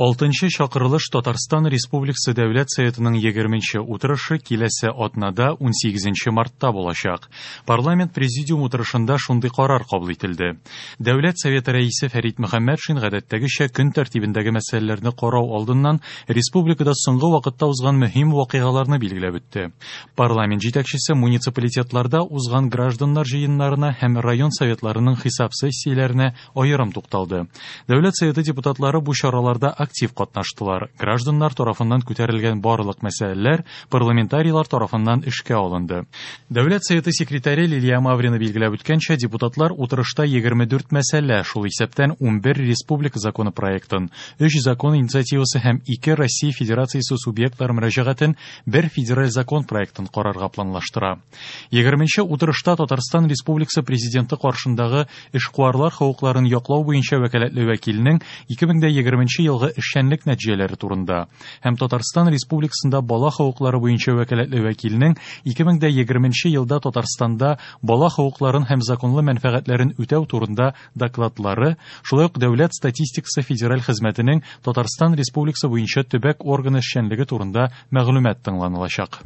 Алтынчы чакырылыш Татарстан Республикасы Дәүләт Советының 20 утырышы киләсе атнада 18 мартта булачак. Парламент президиум утырышында шундый карар кабул ителде. Дәүләт Советы рәисе Фәрит Мөхәммәтшин гадәттәгечә көн тәртибендәге мәсьәләләрне карау алдыннан республикада соңгы вакытта узган мөһим вакыйгаларны билгеләп үтте. Парламент җитәкчесе муниципалитетларда узган гражданнар җыеннарына һәм район советларының хисап сессияләренә аерым тукталды. Дәүләт Советы депутатлары бу чараларда актив катнаштылар. Гражданнар тарафыннан күтәрелгән барлык мәсьәләләр парламентарийлар тарафыннан эшкә алынды. Дәүләт Советы секретаре Лилия Маврина билгеләп үткәнчә, депутатлар утырышта 24 мәсьәлә, шул исәптән 11 республика законы проектын, 3 закон инициативасы һәм 2 Россия Федерациясе субъектлары мөрәҗәгатен, бер федераль закон проектын карарга планлаштыра. 20 утырышта Татарстан Республикасы Президенты каршындагы эшкуарлар хокукларын яклау буенча вәкаләтле вәкилнең 2020 елгы эшчәнлек нәтиҗәләре турында һәм Татарстан Республикасында бала хокуклары буенча вәкаләтле вәкилнең 2020 елда Татарстанда бала хокукларын һәм законлы мәнфәгатьләрен үтәү турында докладлары, шулай ук Дәүләт статистикасы федераль хезмәтенең Татарстан Республикасы буенча төбәк органы эшчәнлеге турында мәгълүмат тыңланылачак.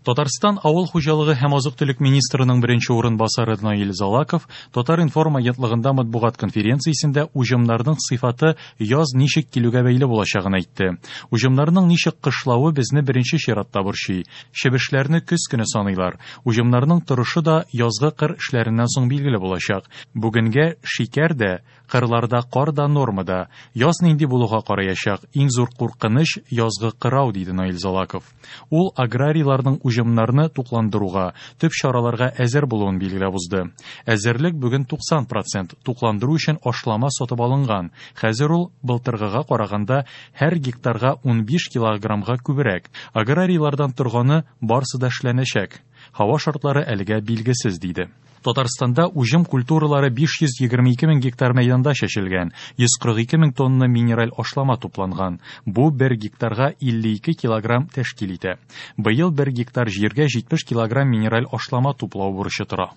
Татарстан авыл хуҗалыгы һәм азык-төлек министрының беренче урынбасары Наил Залаков Татар-информ агентлыгында матбугат конференциясендә уҗымнарның сыйфаты яз ничек килүгә бәйле булачагын әйтте. Уҗымнарның ничек кышлавы безне беренче чиратта борчый. Чебешләрне көз көне саныйлар. Уҗымнарның торышы да язгы кыр эшләреннән соң билгеле булачак. Бүгенгә шикәр дә, кырларда кар да нормада. Яз нинди булуга караячак. Иң зур куркыныч язгы кырау, диде Наил Залаков. Ул аграрийларның уҗымнарны тукландыруга, төп чараларга әзер булуын билгеләп узды. Әзерлек бүген 90%, тукландыру өчен ашлама сатып алынган. Хәзер ул былтыргыга караганда һәр гектарга 15 килограммга күбрәк. Аграрийлардан торганы барсы да эшләнәчәк. Һава шартлары әлегә билгесез, диде. Татарстанда уҗым культуралары 522 мең гектар мәйданда чәчелгән, 142 мең тонна минераль ашлама тупланган. Бу бер гектарга 52 килограмм тәшкил итә. Быел бер гектар җиргә 70 килограмм минераль ашлама туплау бурычы тора.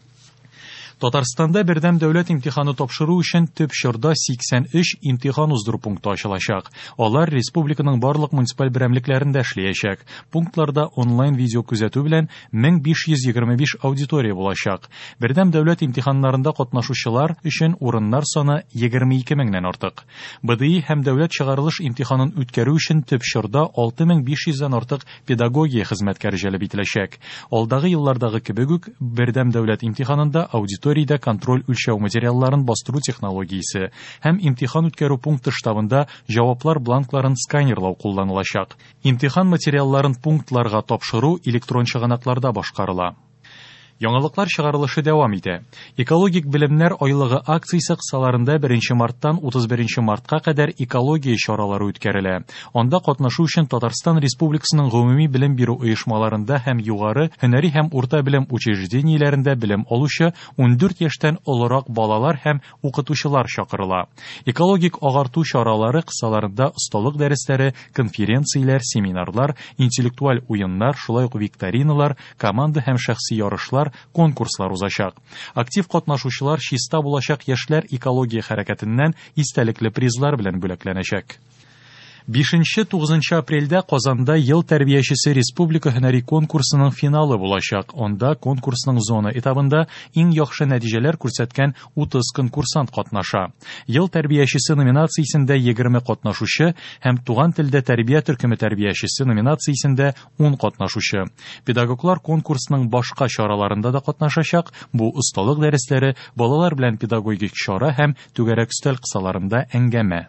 Татарстанда бердәм дәүләт имтиханы тапшыру өчен төп чорда 83 имтихан уздыру пункты ачылачак. Алар республиканың барлык муниципаль берәмлекләрендә эшләячәк. Пунктларда онлайн видео күзәтү белән 1525 аудитория булачак. Бердәм дәүләт имтиханнарында катнашучылар өчен урыннар саны 22 меңнән артык. БДИ һәм дәүләт чыгарылыш имтиханын үткәрү өчен төп чорда 6500дән артык педагогия хезмәткәре җәлеп ителәчәк. Алдагы еллардагы кебек үк бердәм дәүләт имтиханында аудиториядә контроль үлчәү материалларын бастыру технологиясе һәм имтихан үткәрү пункты штабында җаваплар бланкларын сканерлау кулланылачак. Имтихан материалларын пунктларга тапшыру электрон чыганакларда башкарыла. Яңалыклар чыгарылышы дәвам итә. Экологик белемнәр айлыгы акциясе кысаларында 1 марттан 31 мартка кадәр экология чаралары үткәрелә. Анда катнашу өчен Татарстан Республикасының гомуми белем бирү оешмаларында һәм югары һөнәри һәм урта белем учреждениеләрендә белем алучы 14 яшьтән олырак балалар һәм укытучылар чакырыла. Экологик агарту чаралары кысаларында осталык дәресләре, конференцияләр, семинарлар, интеллектуаль уеннар, шулай ук викториналар, команда һәм шәхси ярышлар, конкурслар узачак. Актив катнашучылар чиста булачак яшьләр экология хәрәкәтеннән истәлекле призлар белән бүләкләнәчәк. 5-9 апрельдә Казанда ел тәрбиячесе республика һөнәри конкурсының финалы булачак. Анда конкурсның зона этабында иң яхшы нәтиҗәләр күрсәткән 30 конкурсант катнаша. Ел тәрбиячесе номинациясендә 20 катнашучы һәм туган телдә тәрбия төркеме тәрбиячесе номинациясендә 10 катнашучы. Педагоглар конкурсның башка чараларында да катнашачак. Бу осталык дәресләре, балалар белән педагогик чара һәм түгәрәк өстәл кысаларында әңгәмә.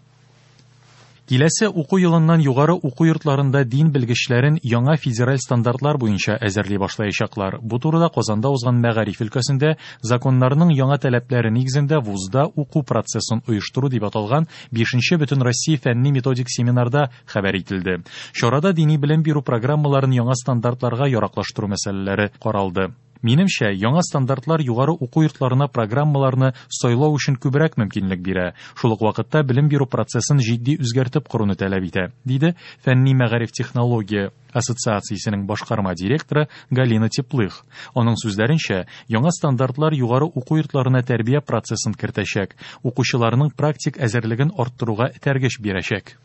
Киләсе уку елыннан югары уку йортларында дин белгечләрен яңа федераль стандартлар буенча әзерли башлаячаклар. Бу турыда Казанда узган мәгариф өлкәсендә законнарның яңа таләпләре нигезендә вузда уку процессын оештыру дип аталган 5-нче Бөтенроссия фәнни методик семинарда хәбәр ителде. Чарада дини белем бирү программаларын яңа стандартларга яраклаштыру мәсьәләләре каралды. Минемчә, яңа стандартлар югары уку йортларына программаларны сайлау өчен күбрәк мөмкинлек бирә. Шул ук вакытта белем бирү процессын җитди үзгәртеп коруны таләп итә, диде Фәнни мәгариф технология ассоциациясенең башкарма директоры Галина Теплых. Аның сүзләренчә, яңа стандартлар югары уку йортларына тәрбия процессын кертәчәк, укучыларның практик әзерлеген арттыруга этәргеч бирәчәк.